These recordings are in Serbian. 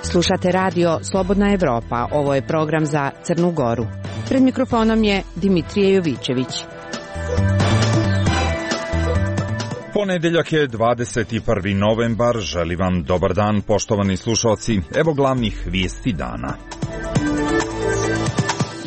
Slušate radio Slobodna Evropa, ovo je program za Crnu Goru. Pred mikrofonom je Dimitrije Jovićević. Ponedeljak je 21. novembar, želim vam dobar dan poštovani slušalci, evo glavnih vijesti dana.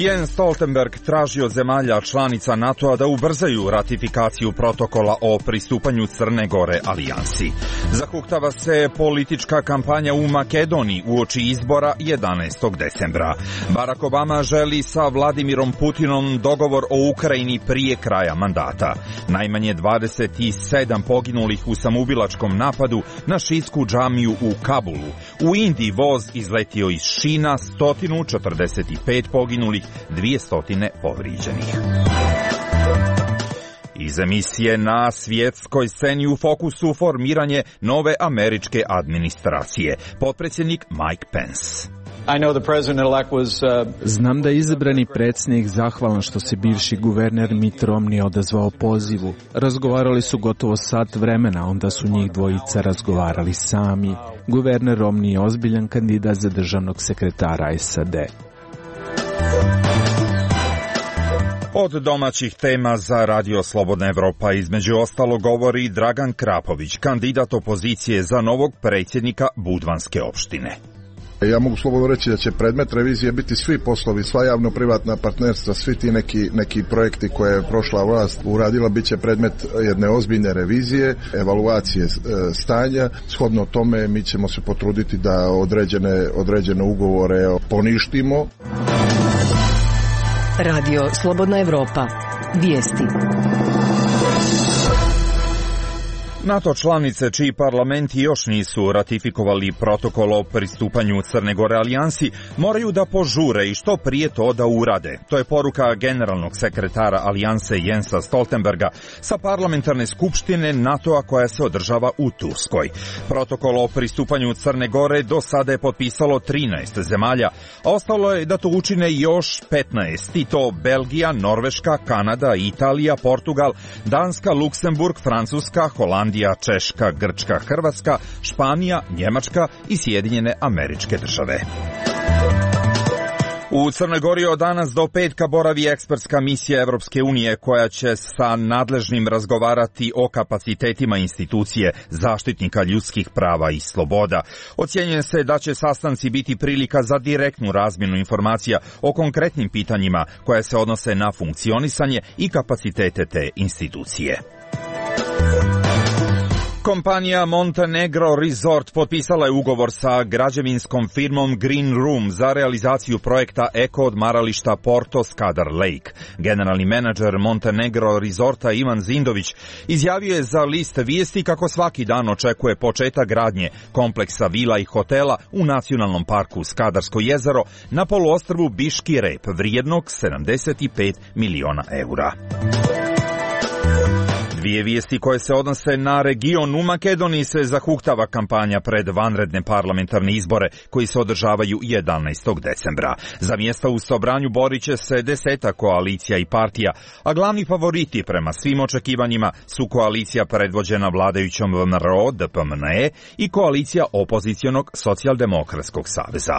Jens Stoltenberg traži od zemalja članica NATO-a da ubrzaju ratifikaciju protokola o pristupanju Crne Gore alijansi. Zahuktava se politička kampanja u Makedoniji uoči izbora 11. decembra. Barack Obama želi sa Vladimirom Putinom dogovor o Ukrajini prije kraja mandata. Najmanje 27 poginulih u samoubilačkom napadu na šiitsku džamiju u Kabulu. U Indiji voz izletio iz šina, 145 poginulih, 200 povrijeđenih. Iz emisije na svjetskoj sceni u fokusu formiranje nove američke administracije. Potpredsjednik Mike Pence. Znam da je izabrani predsjednik zahvalan što se bivši guverner Mitt Romney odazvao pozivu. Razgovarali su gotovo sat vremena, onda su njih dvojica razgovarali sami. Guverner Romney je ozbiljan kandidat za državnog sekretara SAD. Od domaćih tema za Radio Slobodna Evropa između ostalo govori Dragan Krapović, kandidat opozicije za novog predsjednika Budvanske opštine. Ja mogu slobodno reći da će predmet revizije biti svi poslovi, sva javno-privatna partnerstva, svi ti neki projekti koje je prošla vlast uradila, bit će predmet jedne ozbiljne revizije, evaluacije stanja. Shodno tome mi ćemo se potruditi da određene ugovore poništimo. Radio Slobodna Evropa. Vijesti. NATO članice čiji parlamenti još nisu ratifikovali protokol o pristupanju Crne Gore alijansi moraju da požure i što prije to da urade. To je poruka generalnog sekretara alijanse Jensa Stoltenberga sa parlamentarne skupštine NATO-a koja se održava u Turskoj. Protokol o pristupanju Crne Gore do sada je potpisalo 13 zemalja, a ostalo je da to učine još 15, i to Belgija, Norveška, Kanada, Italija, Portugal, Danska, Luksemburg, Francuska, Holandija, Češka, Grčka, Hrvatska, Španija, Njemačka i Sjedinjene Američke Države. U Crnoj Gori od danas do petka boravi ekspertska misija Evropske unije koja će sa nadležnim razgovarati o kapacitetima institucije zaštitnika ljudskih prava i sloboda. Ocjenjuje se da će sastanci biti prilika za direktnu razmjenu informacija o konkretnim pitanjima koja se odnose na funkcionisanje i kapacitete te institucije. Kompanija Montenegro Resort potpisala je ugovor sa građevinskom firmom Green Room za realizaciju projekta eko odmarališta Porto Skadar Lake. Generalni menadžer Montenegro Resorta Ivan Zindović izjavio je za list vijesti kako svaki dan očekuje početak gradnje kompleksa vila i hotela u nacionalnom parku Skadarsko jezero na poluostrvu Biški Rep vrijednog 75 miliona eura. Dvije vijesti koje se odnose na region. U Makedoniji se zahuktava kampanja pred vanredne parlamentarne izbore koji se održavaju 11. decembra. Za mjesta u Sobranju borit će se 10 koalicija i partija, a glavni favoriti prema svim očekivanjima su koalicija predvođena vladajućom VMRO, DPMNE i koalicija opozicionog Socijaldemokratskog saveza.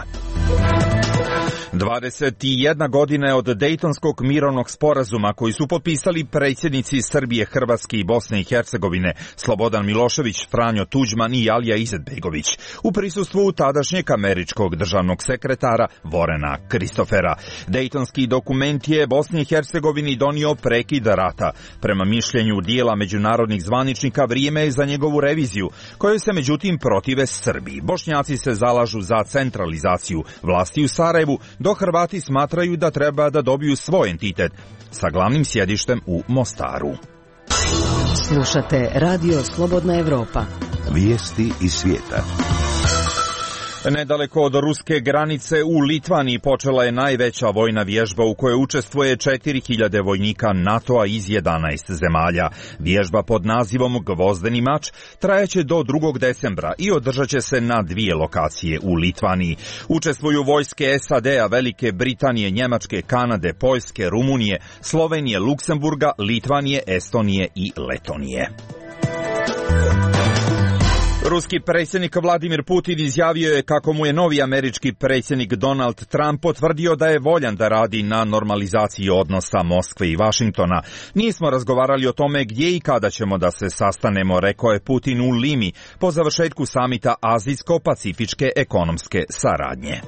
21 godina je od Dejtonskog mirovnog sporazuma koji su potpisali predsjednici Srbije, Hrvatske i Bosne i Hercegovine Slobodan Milošević, Franjo Tuđman i Alija Izetbegović u prisustvu tadašnjeg američkog državnog sekretara Vorena Kristofera. Dejtonski dokument je Bosni i Hercegovini donio prekid rata. Prema mišljenju dijela međunarodnih zvaničnika vrijeme je za njegovu reviziju, kojoj se međutim protive Srbiji. Bošnjaci se zalažu za centralizaciju vlasti u Sarajevu, dok Hrvati smatraju da treba da dobiju svoj entitet sa glavnim sjedištem u Mostaru. Slušate Radio Slobodna Evropa. Vijesti iz svijeta. Nedaleko od ruske granice u Litvaniji počela je najveća vojna vježba u kojoj učestvuje 4000 vojnika NATO-a iz 11 zemalja. Vježba pod nazivom Gvozdeni mač trajaće do 2. decembra i održat će se na 2 lokacije u Litvaniji. Učestvuju vojske SAD-a, Velike Britanije, Njemačke, Kanade, Poljske, Rumunije, Slovenije, Luksemburga, Litvanije, Estonije i Letonije. Ruski predsjednik Vladimir Putin izjavio je kako mu je novi američki predsjednik Donald Trump potvrdio da je voljan da radi na normalizaciji odnosa Moskve i Vašingtona. Nismo razgovarali o tome gdje i kada ćemo da se sastanemo, rekao je Putin u Limi po završetku samita Azijsko-pacifičke ekonomske saradnje.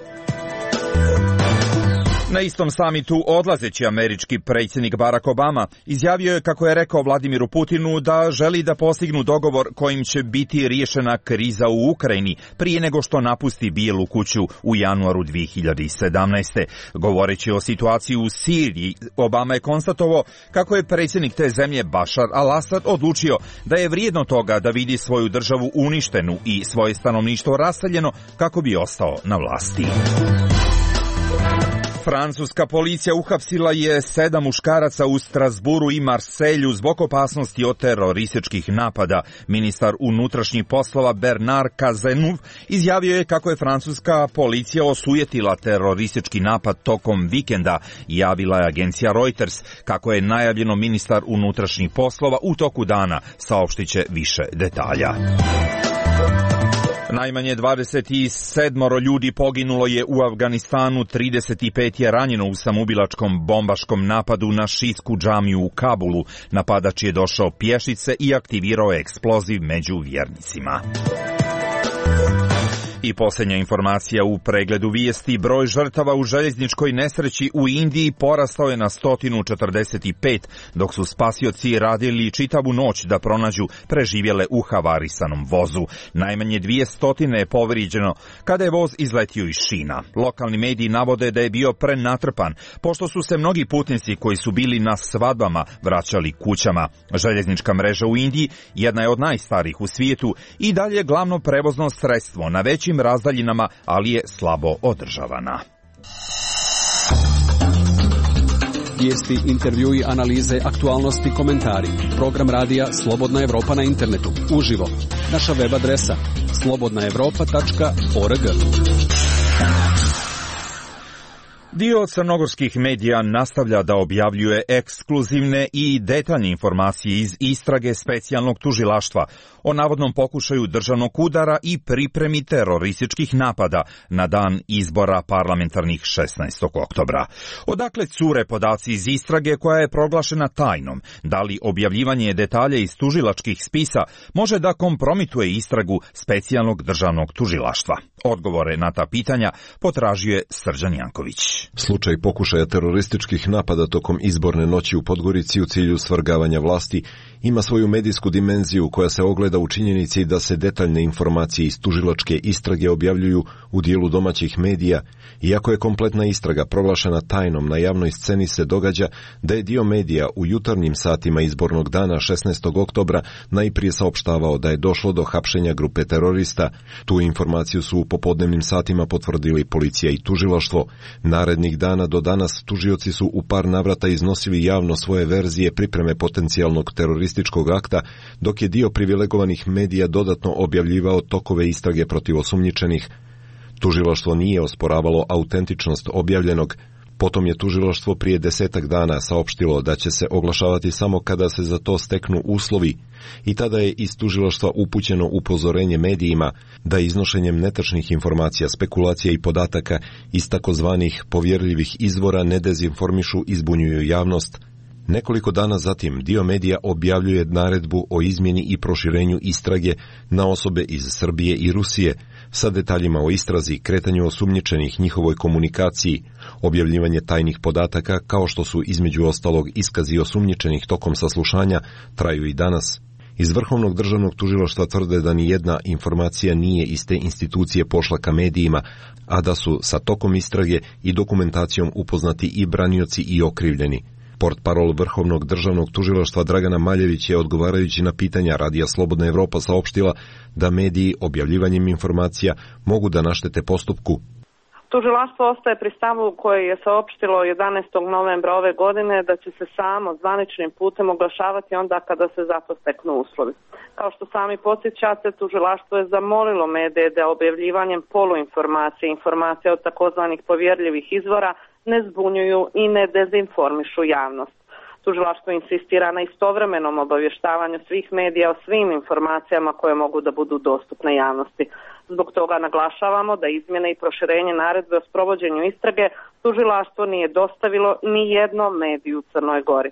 Na istom samitu odlazeći američki predsjednik Barack Obama izjavio je kako je rekao Vladimiru Putinu da želi da postignu dogovor kojim će biti riješena kriza u Ukrajini prije nego što napusti Bijelu kuću u januaru 2017. Govoreći o situaciji u Siriji, Obama je konstatovao kako je predsjednik te zemlje Bashar al-Assad odlučio da je vrijedno toga da vidi svoju državu uništenu i svoje stanovništvo raseljeno kako bi ostao na vlasti. Francuska policija uhapsila je 7 muškaraca u Strasburu i Marselju zbog opasnosti od terorističkih napada. Ministar unutrašnjih poslova Bernard Cazeneuve izjavio je kako je francuska policija osujetila teroristički napad tokom vikenda. Javila je agencija Reuters. Kako je najavljeno, ministar unutrašnjih poslova u toku dana saopštit će više detalja. Najmanje 27 ljudi poginulo je u Afganistanu, 35 je ranjeno u samoubilačkom bombaškom napadu na šijsku džamiju u Kabulu. Napadač je došao pješice i aktivirao eksploziv među vjernicima. I posljednja informacija u pregledu vijesti: broj žrtava u željezničkoj nesreći u Indiji porastao je na 145, dok su spasioci radili čitavu noć da pronađu preživjele u havarisanom vozu. Najmanje 200 je povrijeđeno kada je voz izletio iz šina. Lokalni mediji navode da je bio prenatrpan, pošto su se mnogi putnici koji su bili na svadbama vraćali kućama. Željeznička mreža u Indiji jedna je od najstarijih u svijetu i dalje je glavno prevozno sredstvo na većim razdaljinama, ali je slabo održavana. Vijesti, intervjui, analize, aktualnosti, komentari. Program radija Slobodna Evropa na internetu. Uživo. Naša web adresa slobodnaevropa.org. Dio crnogorskih medija nastavlja da objavljuje ekskluzivne i detaljne informacije iz istrage specijalnog tužilaštva o navodnom pokušaju državnog udara i pripremi terorističkih napada na dan izbora parlamentarnih 16. oktobra. Odakle cure podaci iz istrage koja je proglašena tajnom? Da li objavljivanje detalja iz tužilačkih spisa može da kompromituje istragu specijalnog državnog tužilaštva? Odgovore na ta pitanja potražio je Srđan Janković. Slučaj pokušaja terorističkih napada tokom izborne noći u Podgorici u cilju svrgavanja vlasti ima svoju medijsku dimenziju koja se ogleda u činjenici da se detaljne informacije iz tužilačke istrage objavljuju u dijelu domaćih medija. Iako je kompletna istraga proglašena tajnom, na javnoj sceni se događa da je dio medija u jutarnjim satima izbornog dana 16. oktobra najprije saopštavao da je došlo do hapšenja grupe terorista. Tu informaciju su u popodnevnim satima potvrdili policija i tužilaštvo. Narednih dana do danas tužioci su u par navrata iznosili javno svoje verzije pripreme potencijalnog terorističkog akta, dok je dio privilegovanih medija dodatno objavljivao tokove istrage protiv osumnjičenih. Tužilaštvo nije osporavalo autentičnost objavljenog. Potom je tužilaštvo prije 10 dana saopštilo da će se oglašavati samo kada se za to steknu uslovi i tada je iz tužilaštva upućeno upozorenje medijima da iznošenjem netačnih informacija, spekulacija i podataka iz takozvanih povjerljivih izvora ne dezinformišu i zbunjuju javnost. Nekoliko dana zatim dio medija objavljuje naredbu o izmjeni i proširenju istrage na osobe iz Srbije i Rusije sa detaljima o istrazi, kretanju osumnjičenih, njihovoj komunikaciji, objavljivanje tajnih podataka kao što su između ostalog iskazi osumnjičenih tokom saslušanja traju i danas. Iz Vrhovnog državnog tužilaštva tvrde da ni jedna informacija nije iz te institucije pošla ka medijima, a da su sa tokom istrage i dokumentacijom upoznati i branioci i okrivljeni. Portparol Vrhovnog državnog tužilaštva Dragana Maljević je odgovarajući na pitanja Radija Slobodna Evropa saopštila da mediji objavljivanjem informacija mogu da naštete postupku. Tužilaštvo ostaje pri stavu koje je saopštilo 11. novembra ove godine da će se samo zvaničnim putem oglašavati onda kada se za to steknu uslovi. Kao što sami podsjećate, tužilaštvo je zamolilo medije da objavljivanjem poluinformacije, informacija od takozvanih povjerljivih izvora ne zbunjuju i ne dezinformišu javnost. Tužilaštvo insistira na istovremenom obavještavanju svih medija o svim informacijama koje mogu da budu dostupne javnosti. Zbog toga naglašavamo da izmjene i proširenje naredbe o sprovođenju istrage tužilaštvo nije dostavilo ni jednom mediju u Crnoj Gori.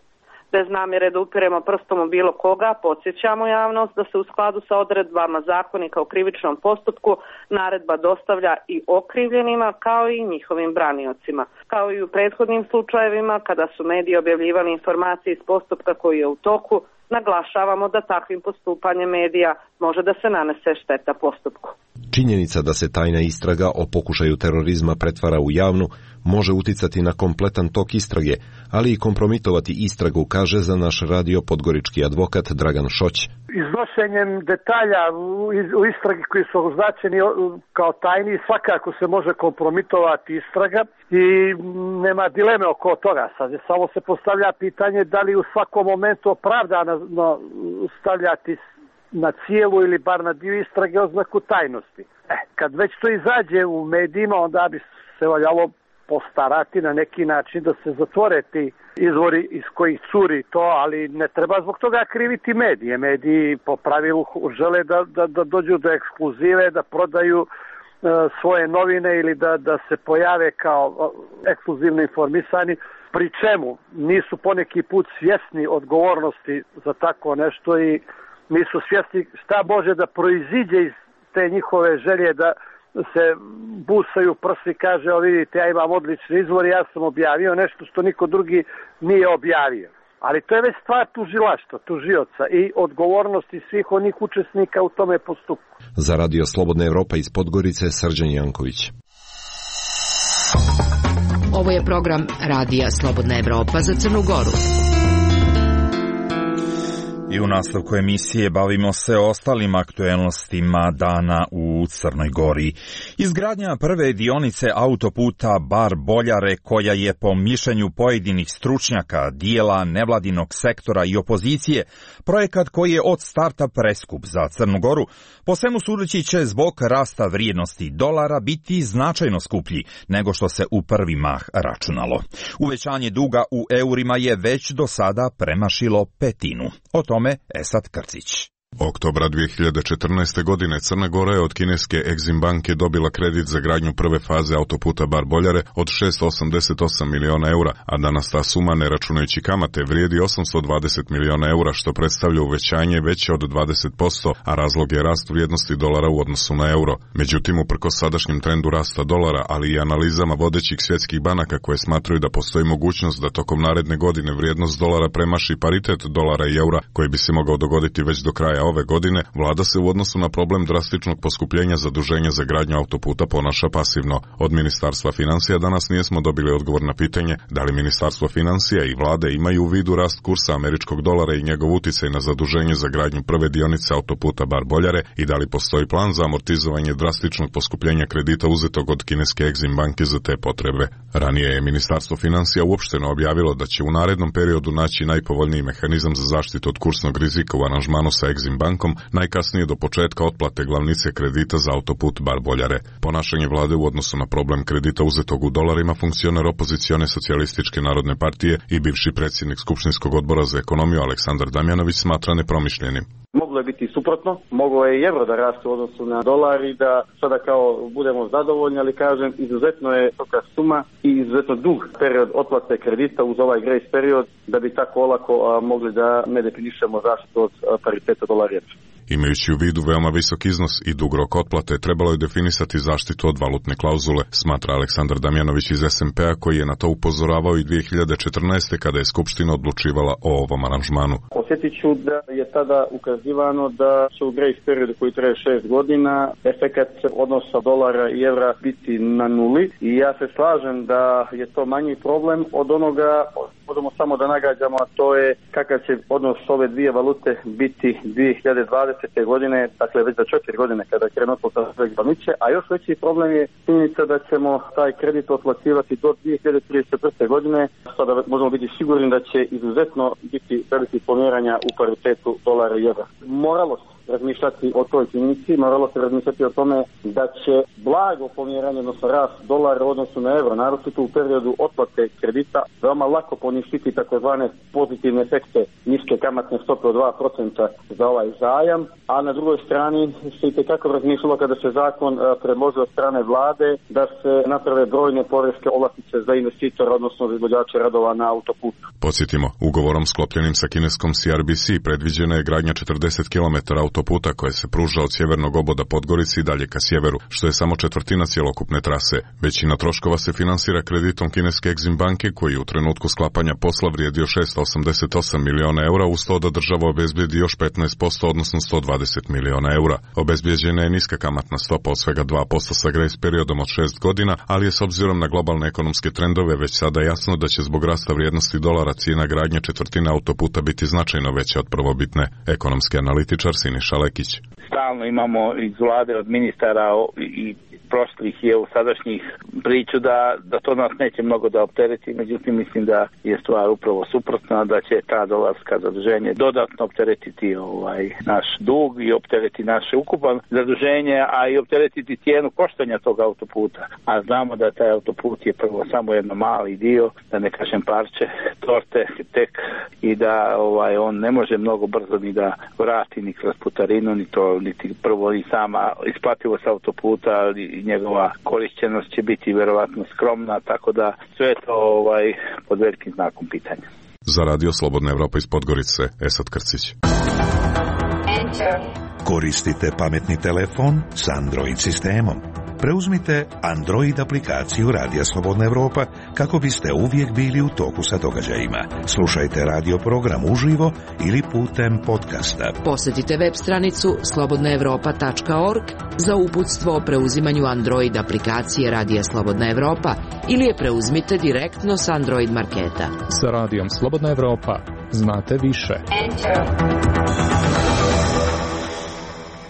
Bez namjere da upiremo prstom u bilo koga, podsjećamo javnost da se u skladu sa odredbama zakonika o krivičnom postupku naredba dostavlja i okrivljenima kao i njihovim braniocima. Kao i u prethodnim slučajevima kada su mediji objavljivali informacije iz postupka koji je u toku, naglašavamo da takvim postupanjem medija može da se nanese šteta postupku. Činjenica da se tajna istraga o pokušaju terorizma pretvara u javnu može uticati na kompletan tok istrage, ali i kompromitovati istragu, kaže za naš radio podgorički advokat Dragan Šoć. Iznošenjem detalja u istragi koji su označeni kao tajni svakako se može kompromitovati istraga i nema dileme oko toga. Sad samo se postavlja pitanje da li u svakom momentu opravdano stavljati na cijelu ili bar na dio istrage oznaku tajnosti. Kad već to izađe u medijima, onda bi se valjalo postarati na neki način da se zatvore ti izvori iz kojih curi to, ali ne treba zbog toga kriviti medije. Mediji po pravilu žele da dođu do ekskluzive, da prodaju svoje novine ili da se pojave kao ekskluzivno informisani, pri čemu nisu poneki put svjesni odgovornosti za tako nešto i nisu svjesni šta može da proiziđe iz te njihove želje da se busaju prsi, kaže, o vidite, ja imam odlični izvor, ja sam objavio nešto što niko drugi nije objavio. Ali to je već stvar tužilaštva, tužioca i odgovornosti svih onih učesnika u tome postupku. Za Radio Slobodna Evropa iz Podgorice, Srđan Janković. Ovo je program Radija Slobodna Evropa za Crnu Goru. I u nastavku emisije bavimo se ostalim aktuelnostima dana u Crnoj Gori. Izgradnja prve dionice autoputa Bar-Boljare, koja je po mišljenju pojedinih stručnjaka, dijela nevladinog sektora i opozicije, projekat koji je od starta preskup za Crnu Goru, po svemu sudeći će zbog rasta vrijednosti dolara biti značajno skuplji nego što se u prvi mah računalo. Uvećanje duga u eurima je već do sada premašilo petinu. O tome Esad Krcić. Oktobra 2014. godine Crna Gora je od kineske Exim banke dobila kredit za gradnju prve faze autoputa Bar-Boljare od 688 miliona eura, a danas ta suma, ne računajući kamate, vrijedi 820 miliona eura, što predstavlja uvećanje veće od 20%, a razlog je rast vrijednosti dolara u odnosu na euro. Međutim, uprkos sadašnjem trendu rasta dolara, ali i analizama vodećih svjetskih banaka koje smatraju da postoji mogućnost da tokom naredne godine vrijednost dolara premaši paritet dolara i eura, koji bi se mogao dogoditi već do kraja ove godine, vlada se u odnosu na problem drastičnog poskupljenja zaduženja za gradnju autoputa ponaša pasivno. Od Ministarstva financija danas nismo dobili odgovor na pitanje da li Ministarstvo financija i vlade imaju u vidu rast kursa američkog dolara i njegov uticaj na zaduženje za gradnju prve dionice autoputa Bar-Boljare i da li postoji plan za amortizovanje drastičnog poskupljenja kredita uzetog od kineske Exim banke za te potrebe. Ranije je Ministarstvo financija uopšteno objavilo da će u narednom periodu naći najpovoljniji mehanizam za zaštitu od kursnog rizika u aranžmanu sa Exim bankom, najkasnije do početka otplate glavnice kredita za autoput Bar-Boljare. Ponašanje vlade u odnosu na problem kredita uzetog u dolarima funkcioner opozicione Socijalističke narodne partije i bivši predsjednik Skupštinskog odbora za ekonomiju Aleksandar Damjanović smatra nepromišljenim. Moglo je biti suprotno, moglo je i euro da raste u odnosu na dolar i da sada kao budemo zadovoljni, ali kažem, izuzetno je toka suma i izuzetno dug period otplate kredita uz ovaj grace period da bi tako olako mogli da ne definišemo zaštitu od pariteta dolara. Imajući u vidu veoma visok iznos i dug rok otplate, trebalo je definisati zaštitu od valutne klauzule, smatra Aleksandar Damjanović iz SMP-a, koji je na to upozoravao i 2014. kada je Skupština odlučivala o ovom aranžmanu. Osjetit ću da je tada ukazivano da će u grace periodu koji traje 6 godina efekat odnosa dolara i evra biti na nuli i ja se slažem da je to manji problem od onoga možemo samo da nagađamo, a to je kakav će odnos ove dvije valute biti 2020. godine, dakle već za 4 godine kada krenu otplata sve glavnice, a još veći problem je činjenica da ćemo taj kredit otplaćivati do 2034. godine, sada možemo biti sigurni da će izuzetno biti veliki pomjeranja u paritetu dolara i evra. Moralo se razmišljati o toj činjenici, moralo se razmišljati o tome da će blago pomjeranje, odnosno rast dolara u odnosu na evro, naročito u periodu otplate kredita, veoma lako poništiti takozvane pozitivne efekte niske kamatne stope od 2% za ovaj zajam, a na drugoj strani se itekako razmišljalo kada se zakon predložio od strane vlade da se naprave brojne poreske olakšice za investitora, odnosno za izvođače radova na autoputu. Podsjetimo, ugovorom sklopljenim sa kineskom CRBC predviđena je gradnja 40 km autoputa koje se pruža od sjevernog oboda Podgorice i dalje ka sjeveru, što je samo četvrtina cjelokupne trase. Većina troškova se finansira kreditom kineske Exim banke koji u trenutku sklapanja posla vrijedio 688 miliona eura, uz to da država obezbijedi još 15%, odnosno 120 miliona eura. Obezbijeđena je niska kamatna stopa od svega 2% sa grace periodom od 6 godina, ali je s obzirom na globalne ekonomske trendove već sada jasno da će zbog rasta vrijednosti dolara cijena gradnje četvrtine autoputa biti značajno veća od prvobitne. Ekonomski analitičar Siniša Lekić. Stalno imamo iz vlade od ministara i prošlih i sadašnjih priču da to nas neće mnogo da optereti, međutim mislim da je stvar upravo suprotna, da će ta dolarska zaduženje dodatno opteretiti naš dug i optereti naše ukupan zaduženje, a i opteretiti cijenu koštanja tog autoputa. A znamo da taj autoput je prvo samo jedno mali dio, da ne kažem parče torte tek, i da on ne može mnogo brzo ni da vrati ni kroz putarinu, niti prvo i sama isplativost autoputa i njegova korišćenost će biti vjerovatno skromna, tako da sve je to pod velikim znakom pitanja. Za Radio Slobodna Evropa iz Podgorice, Esad Krcić. Koristite pametni telefon s Android sistemom. Preuzmite Android aplikaciju Radija Slobodna Evropa kako biste uvijek bili u toku sa događajima. Slušajte radio program uživo ili putem podcasta. Posjetite web stranicu slobodnaevropa.org za uputstvo o preuzimanju Android aplikacije Radija Slobodna Evropa ili je preuzmite direktno s Android marketa. Sa Radijom Slobodna Evropa znate više.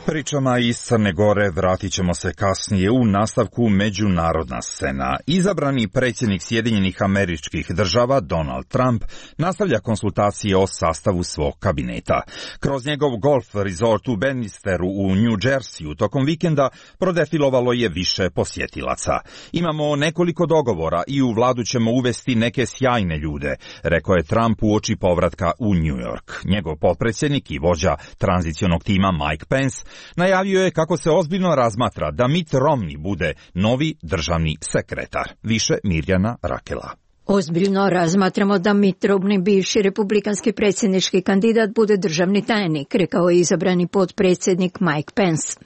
Pričama iz Crne Gore vratit ćemo se kasnije u nastavku međunarodna scena. Izabrani predsjednik Sjedinjenih Američkih Država Donald Trump nastavlja konsultacije o sastavu svog kabineta. Kroz njegov golf resort u Bannisteru u New Jerseyu tokom vikenda prodefilovalo je više posjetilaca. Imamo nekoliko dogovora i u vladu ćemo uvesti neke sjajne ljude, rekao je Trump uoči povratka u New York. Njegov potpredsjednik i vođa tranzicionog tima Mike Pence najavio je kako se ozbiljno razmatra da Mitt Romney bude novi državni sekretar. Više Mirjana Rakela. Ozbiljno razmatramo da Mitt Romney, bivši republikanski predsjednički kandidat, bude državni tajnik, rekao je izabrani potpredsjednik Mike Pence.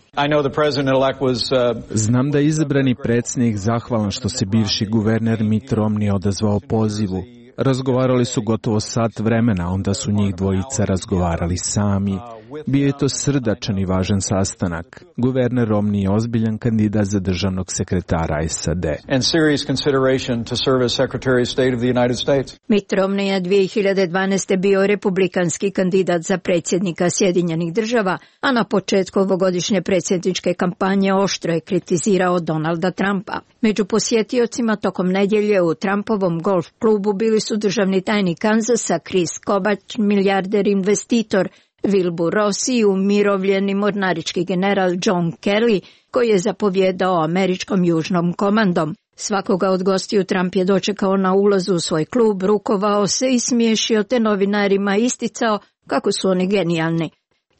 Znam da je izabrani predsjednik zahvalan što se bivši guverner Mitt Romney odazvao pozivu. Razgovarali su gotovo sat vremena, onda su njih dvojica razgovarali sami. Bio je to srdačan i važan sastanak. Guverner Romney je ozbiljan kandidat za državnog sekretara SAD. Mitt Romney je 2012. bio republikanski kandidat za predsjednika Sjedinjenih Država, a na početku ovogodišnje predsjedničke kampanje oštro je kritizirao Donalda Trumpa. Među posjetiocima tokom nedjelje u Trumpovom golf klubu bili su državni tajnik Kanzasa Chris Kobach, milijarder investitor, Wilbur Ross i umirovljeni mornarički general John Kelly, koji je zapovjedao američkom južnom komandom. Svakoga od gostiju Trump je dočekao na ulazu u svoj klub, rukovao se i smiješio te novinarima isticao kako su oni genijalni.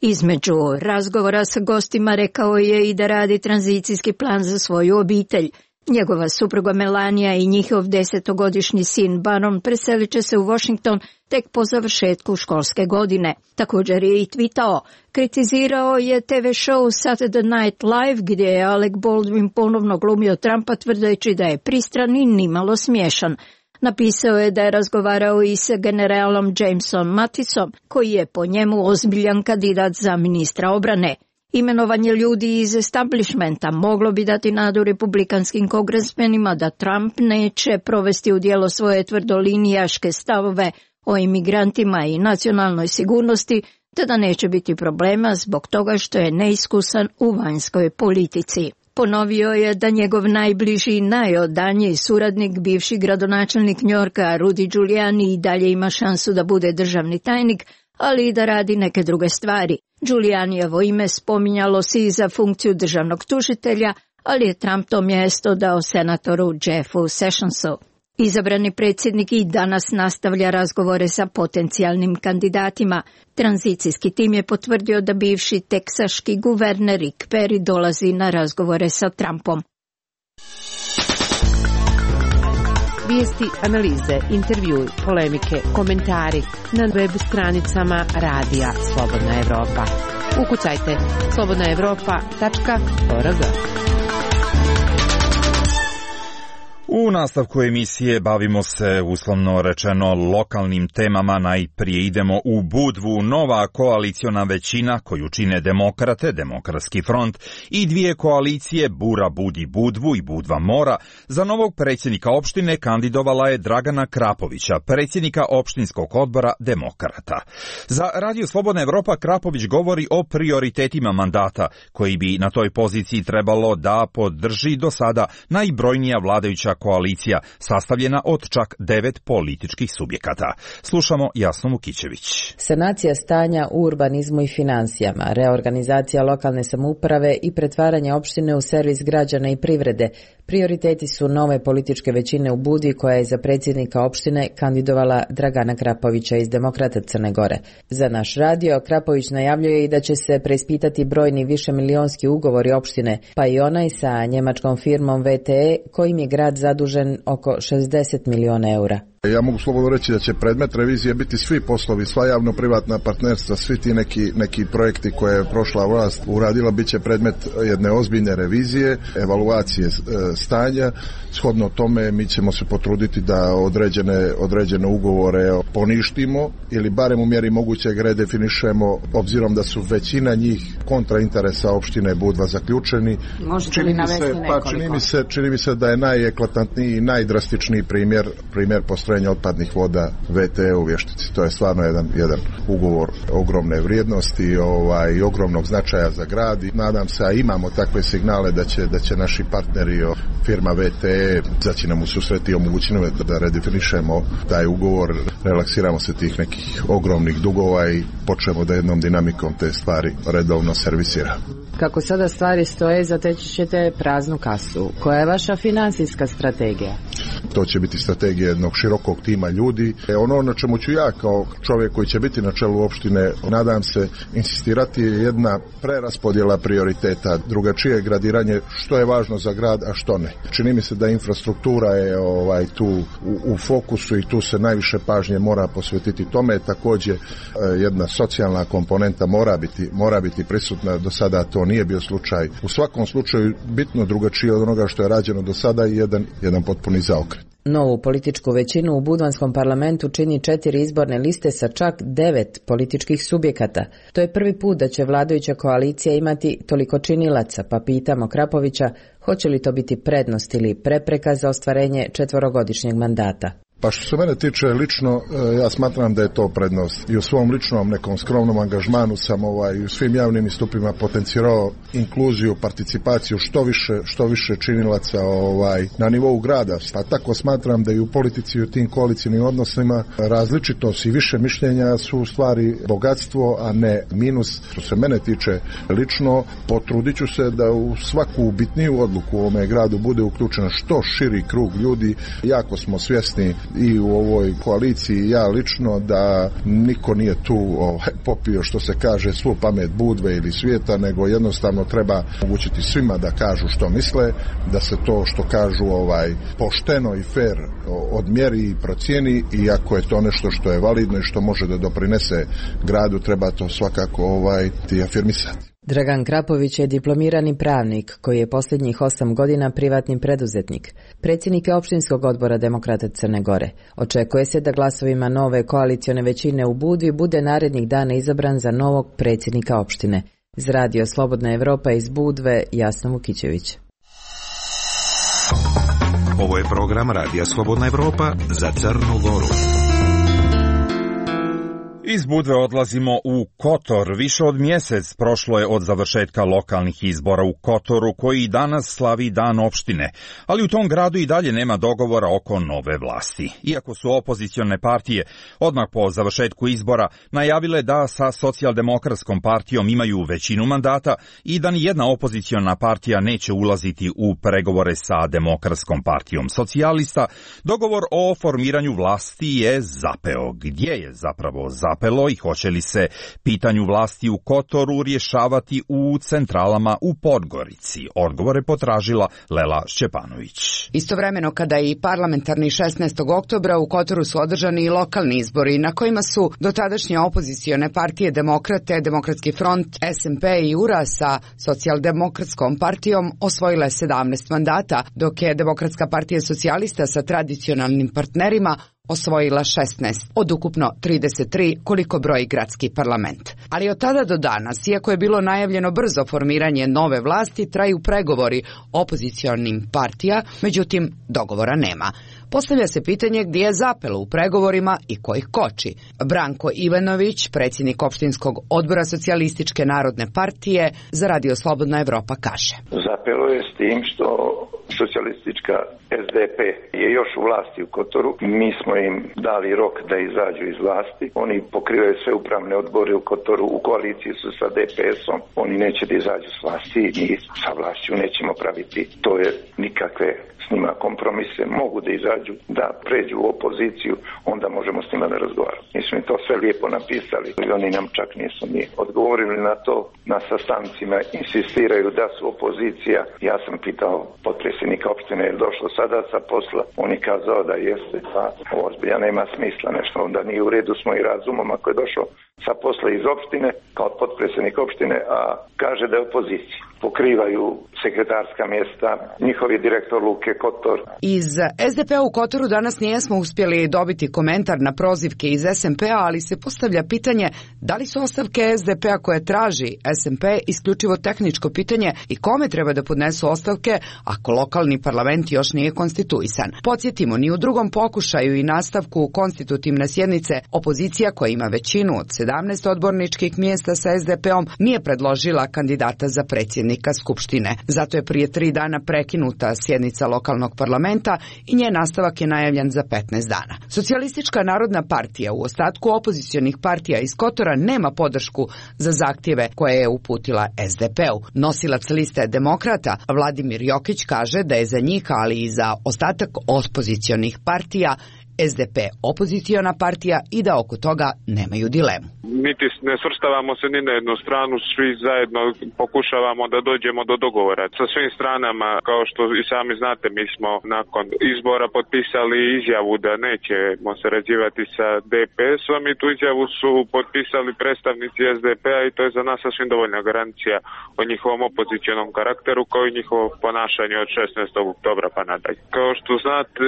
Između razgovora sa gostima rekao je i da radi tranzicijski plan za svoju obitelj. Njegova supruga Melania i njihov 10-godišnji sin Baron preselit će se u Washington tek po završetku školske godine. Također je i tweetao. Kritizirao je TV show Saturday Night Live gdje je Alec Baldwin ponovno glumio Trumpa tvrdeći da je pristran i nimalo smiješan. Napisao je da je razgovarao i sa generalom Jamesom Mattisom, koji je po njemu ozbiljan kandidat za ministra obrane. Imenovanje ljudi iz establishmenta moglo bi dati nadu republikanskim kongresmenima da Trump neće provesti u djelo svoje tvrdolinijaške stavove o imigrantima i nacionalnoj sigurnosti, te da neće biti problema zbog toga što je neiskusan u vanjskoj politici. Ponovio je da njegov najbliži i najodaniji suradnik, bivši gradonačelnik Njorka Rudy Giuliani, i dalje ima šansu da bude državni tajnik, ali i da radi neke druge stvari. Giulianijevo ime spominjalo se i za funkciju državnog tužitelja, ali je Trump to mjesto dao senatoru Jeffu Sessionsu. Izabrani predsjednik i danas nastavlja razgovore sa potencijalnim kandidatima. Tranzicijski tim je potvrdio da bivši teksaški guverner Rick Perry dolazi na razgovore sa Trumpom. Vijesti, analize, intervjui, polemike, komentari na web stranicama Radija Slobodna Evropa. Ukucajte slobodnaevropa.org. U nastavku emisije bavimo se, uslovno rečeno, lokalnim temama. Najprije idemo u Budvu. Nova koaliciona većina koju čine Demokrate, Demokratski front i dvije koalicije Bura budi Budvu i Budva mora, za novog predsjednika opštine kandidovala je Dragana Krapovića, predsjednika opštinskog odbora Demokrata. Za Radio Slobodna Evropa Krapović govori o prioritetima mandata koji bi na toj poziciji trebalo da podrži do sada najbrojnija vladajuća koalicija, sastavljena od čak 9 političkih subjekata. Slušamo Jasnu Vukićević. Sanacija stanja u urbanizmu i financijama, reorganizacija lokalne samouprave i pretvaranje opštine u servis građana i privrede prioriteti su nove političke većine u Budvi, koja je za predsjednika opštine kandidovala Dragana Krapovića iz Demokrata Crne Gore. Za naš radio Krapović najavljuje i da će se preispitati brojni višemilionski ugovori opštine, pa i onaj sa njemačkom firmom VTE, kojim je grad zadužen oko 60 miliona eura. Ja mogu slobodno reći da će predmet revizije biti svi poslovi, sva javno-privatna partnerstva, svi ti neki projekti koje je prošla vlast uradila, bit će predmet jedne ozbiljne revizije, evaluacije stanja. Shodno tome mi ćemo se potruditi da određene ugovore poništimo ili barem u mjeri mogućeg redefinišemo, obzirom da su većina njih kontra interesa opštine Budva zaključeni. Možete li navesti nekoliko? Čini mi se da je najeklatantniji i najdrastičniji primjer postrojenja otpadnih voda VTE u Vještici. To je stvarno jedan ugovor ogromne vrijednosti i ogromnog značaja za grad. I nadam se, a imamo takve signale da će naši partneri, firma VTE, zaći nam u susret i omogućiti da redefinišemo taj ugovor, relaksiramo se tih nekih ogromnih dugova i počnemo da jednom dinamikom te stvari redovno servisira. Kako sada stvari stoje, zateći ćete praznu kasu. Koja je vaša financijska strategija? To će biti strategija jednog širokog tima ljudi. Ono na čemu ću ja kao čovjek koji će biti na čelu opštine, nadam se, insistirati je jedna preraspodjela prioriteta, drugačije gradiranje što je važno za grad, a što ne. Čini mi se da infrastruktura je tu u fokusu i tu se najviše pažnje mora posvetiti tome. Također jedna socijalna komponenta mora biti prisutna, do sada to nije bio slučaj. U svakom slučaju bitno drugačije od onoga što je rađeno do sada i jedan potpuni zaokret. Novu političku većinu u Budvanskom parlamentu čini 4 izborne liste sa čak 9 političkih subjekata. To je prvi put da će vladajuća koalicija imati toliko činilaca, pa pitamo Krapovića hoće li to biti prednost ili prepreka za ostvarenje 4-godišnjeg mandata. Pa što se mene tiče lično, ja smatram da je to prednost. I u svom ličnom nekom skromnom angažmanu sam u svim javnim istupima potencirao inkluziju, participaciju što više činilaca na nivou grada. Pa tako smatram da i u politici i u tim koalicijnim odnosima različitost i više mišljenja su u stvari bogatstvo, a ne minus. Što se mene tiče lično, potrudit ću se da u svaku bitniju odluku u ovome gradu bude uključen što širi krug ljudi. Jako smo svjesni i u ovoj koaliciji, ja lično, da niko nije tu popio, što se kaže, svu pamet Budve ili svijeta, nego jednostavno treba omogućiti svima da kažu što misle, da se to što kažu pošteno i fair odmjeri i procijeni, i ako je to nešto što je validno i što može da doprinese gradu, treba to svakako afirmisati. Dragan Krapović je diplomirani pravnik koji je posljednjih 8 godina privatni preduzetnik. Predsjednik je opštinskog odbora Demokrata Crne Gore. Očekuje se da glasovima nove koalicione većine u Budvi bude narednih dana izabran za novog predsjednika opštine. Iz Radio Slobodna Evropa iz Budve, Jasna Vukićević. Ovo je program Radija Slobodna Evropa za Crnu Goru. Iz Budve odlazimo u Kotor. Više od mjesec prošlo je od završetka lokalnih izbora u Kotoru, koji danas slavi dan opštine, ali u tom gradu i dalje nema dogovora oko nove vlasti. Iako su opozicione partije odmah po završetku izbora najavile da sa Socijaldemokratskom partijom imaju većinu mandata i da ni jedna opoziciona partija neće ulaziti u pregovore sa Demokratskom partijom socijalista, dogovor o formiranju vlasti je zapeo. Gdje je zapravo zapelo i hoće li se pitanju vlasti u Kotoru rješavati u centralama u Podgorici? Odgovore potražila Lela Šćepanović. Istovremeno kada i parlamentarni 16. oktobra u Kotoru su održani i lokalni izbori na kojima su dotadašnje opozicione partije Demokrate, Demokratski front, SMP i URA sa Socijaldemokratskom partijom osvojile 17 mandata, dok je Demokratska partija socijalista sa tradicionalnim partnerima osvojila 16 od ukupno 33 koliko broji gradski parlament. Ali od tada do danas, iako je bilo najavljeno brzo formiranje nove vlasti, traju pregovori opozicionim partija, međutim dogovora nema. Postavlja se pitanje gdje je zapelo u pregovorima i ko ih koči. Branko Ivanović, predsjednik opštinskog odbora Socijalističke narodne partije, za Radio Slobodna Evropa kaže. Zapelo je s tim što socijalistička SDP je još u vlasti u Kotoru. Mi smo im dali rok da izađu iz vlasti. Oni pokrivaju sve upravne odbore u Kotoru, u koaliciji su sa DPS-om. Oni neće da izađu s vlasti i sa vlašću nećemo praviti. To je nikakve s njima kompromise. Mogu da izađu, da pređu u opoziciju, onda možemo s njima da razgovaramo. Mi smo im to sve lijepo napisali i oni nam čak nisu ni odgovorili na to. Na sastancima insistiraju da su opozicija. Ja sam pitao potpredsjednika opštine je došlo sada sa posla. On je kazao da jeste, pa ovo zbilja nema smisla nešto. Onda nije u redu s mojim razumom ako je došao sa posla iz opštine kao potpredsjednik opštine, a kaže da je opozicija. Pokrivaju sekretarska mjesta, njihovi direktor Luke Kotor. Iz SDP-a u Kotoru danas nijesmo uspjeli dobiti komentar na prozivke iz SMP-a, ali se postavlja pitanje da li su ostavke SDP-a koje traži SMP isključivo tehničko pitanje i kome treba da podnesu ostavke ako lokalni parlament još nije konstituisan. Podsjetimo, ni u drugom pokušaju i nastavku konstitutivne sjednice opozicija koja ima većinu od 17 odborničkih mjesta sa SDP-om nije predložila kandidata za predsjednika Skupštine. Zato je prije 3 dana prekinuta sjednica lokalnog parlamenta i njen nastavak je najavljen za 15 dana. Socijalistička narodna partija u ostatku opozicionih partija iz Kotora nema podršku za zahtjeve koje je uputila SDP-u. Nosilac liste Demokrata Vladimir Jokić kaže da je za njih, ali i za ostatak opozicionih partija SDP opoziciona partija i da oko toga nemaju dilemu. Niti ne svrstavamo se ni na jednu stranu, svi zajedno pokušavamo da dođemo do dogovora. Sa svim stranama, kao što i sami znate, mi smo nakon izbora potpisali izjavu da nećemo sarađivati sa DPS-om i tu izjavu su potpisali predstavnici SDP-a i to je za nas sasvim dovoljna garancija o njihovom opozicionom karakteru kao i njihovo ponašanje od 16. oktobra pa nadalje. Kao što znate,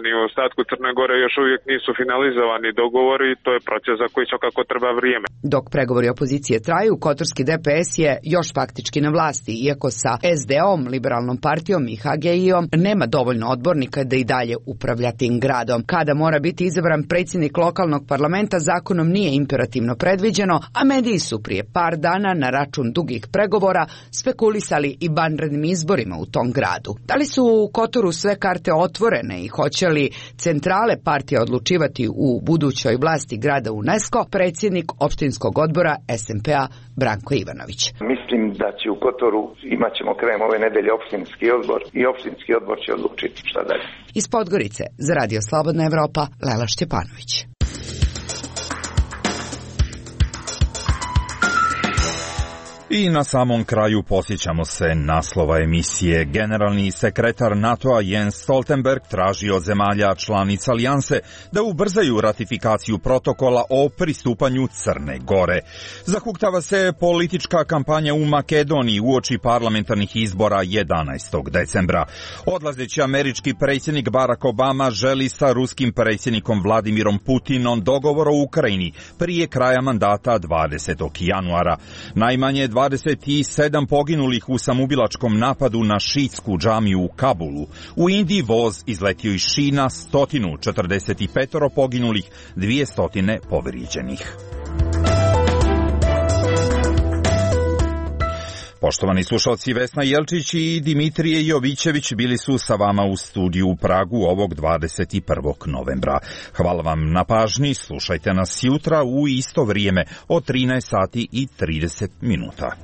ni u ostatku Crne Gore još uvijek nisu finalizovani dogovori, to je proces za koji svakako treba vrijeme. Dok pregovori opozicije traju, kotorski DPS je još faktički na vlasti, iako sa SD-om, liberalnom partijom i HGI-om nema dovoljno odbornika da i dalje upravlja tim gradom. Kada mora biti izabran predsjednik lokalnog parlamenta, zakonom nije imperativno predviđeno, a mediji su prije par dana na račun dugih pregovora spekulisali i vanrednim izborima u tom gradu. Da li su u Kotoru sve karte otvorene i hoće li centrale partija odlučivati u budućoj vlasti grada UNESCO, predsjednik opštinskog odbora SMP-a Branko Ivanović. Mislim da će u Kotoru imat ćemo krajem ove nedelje opštinski odbor i opštinski odbor će odlučiti šta dalje. Iz Podgorice za Radio Slobodna Evropa, Lela Šćepanović. I na samom kraju posjećamo se naslova emisije. Generalni sekretar NATO-a Jens Stoltenberg traži od zemalja članica alijanse da ubrzaju ratifikaciju protokola o pristupanju Crne Gore. Zahuktava se politička kampanja u Makedoniji uoči parlamentarnih izbora 11. decembra. Odlazeći američki predsjednik Barack Obama želi sa ruskim predsjednikom Vladimirom Putinom dogovor o Ukrajini prije kraja mandata 20. januara. Najmanje 27 poginulih u samoubilačkom napadu na šiitsku džamiju u Kabulu. U Indiji voz izletio iz šina, 145 poginulih, 200 povrijeđenih. Poštovani slušalci, Vesna Jelčić i Dimitrije Jovićević bili su sa vama u studiju u Pragu ovog 21. novembra. Hvala vam na pažnji, slušajte nas jutra u isto vrijeme od 13 sati i 30 minuta.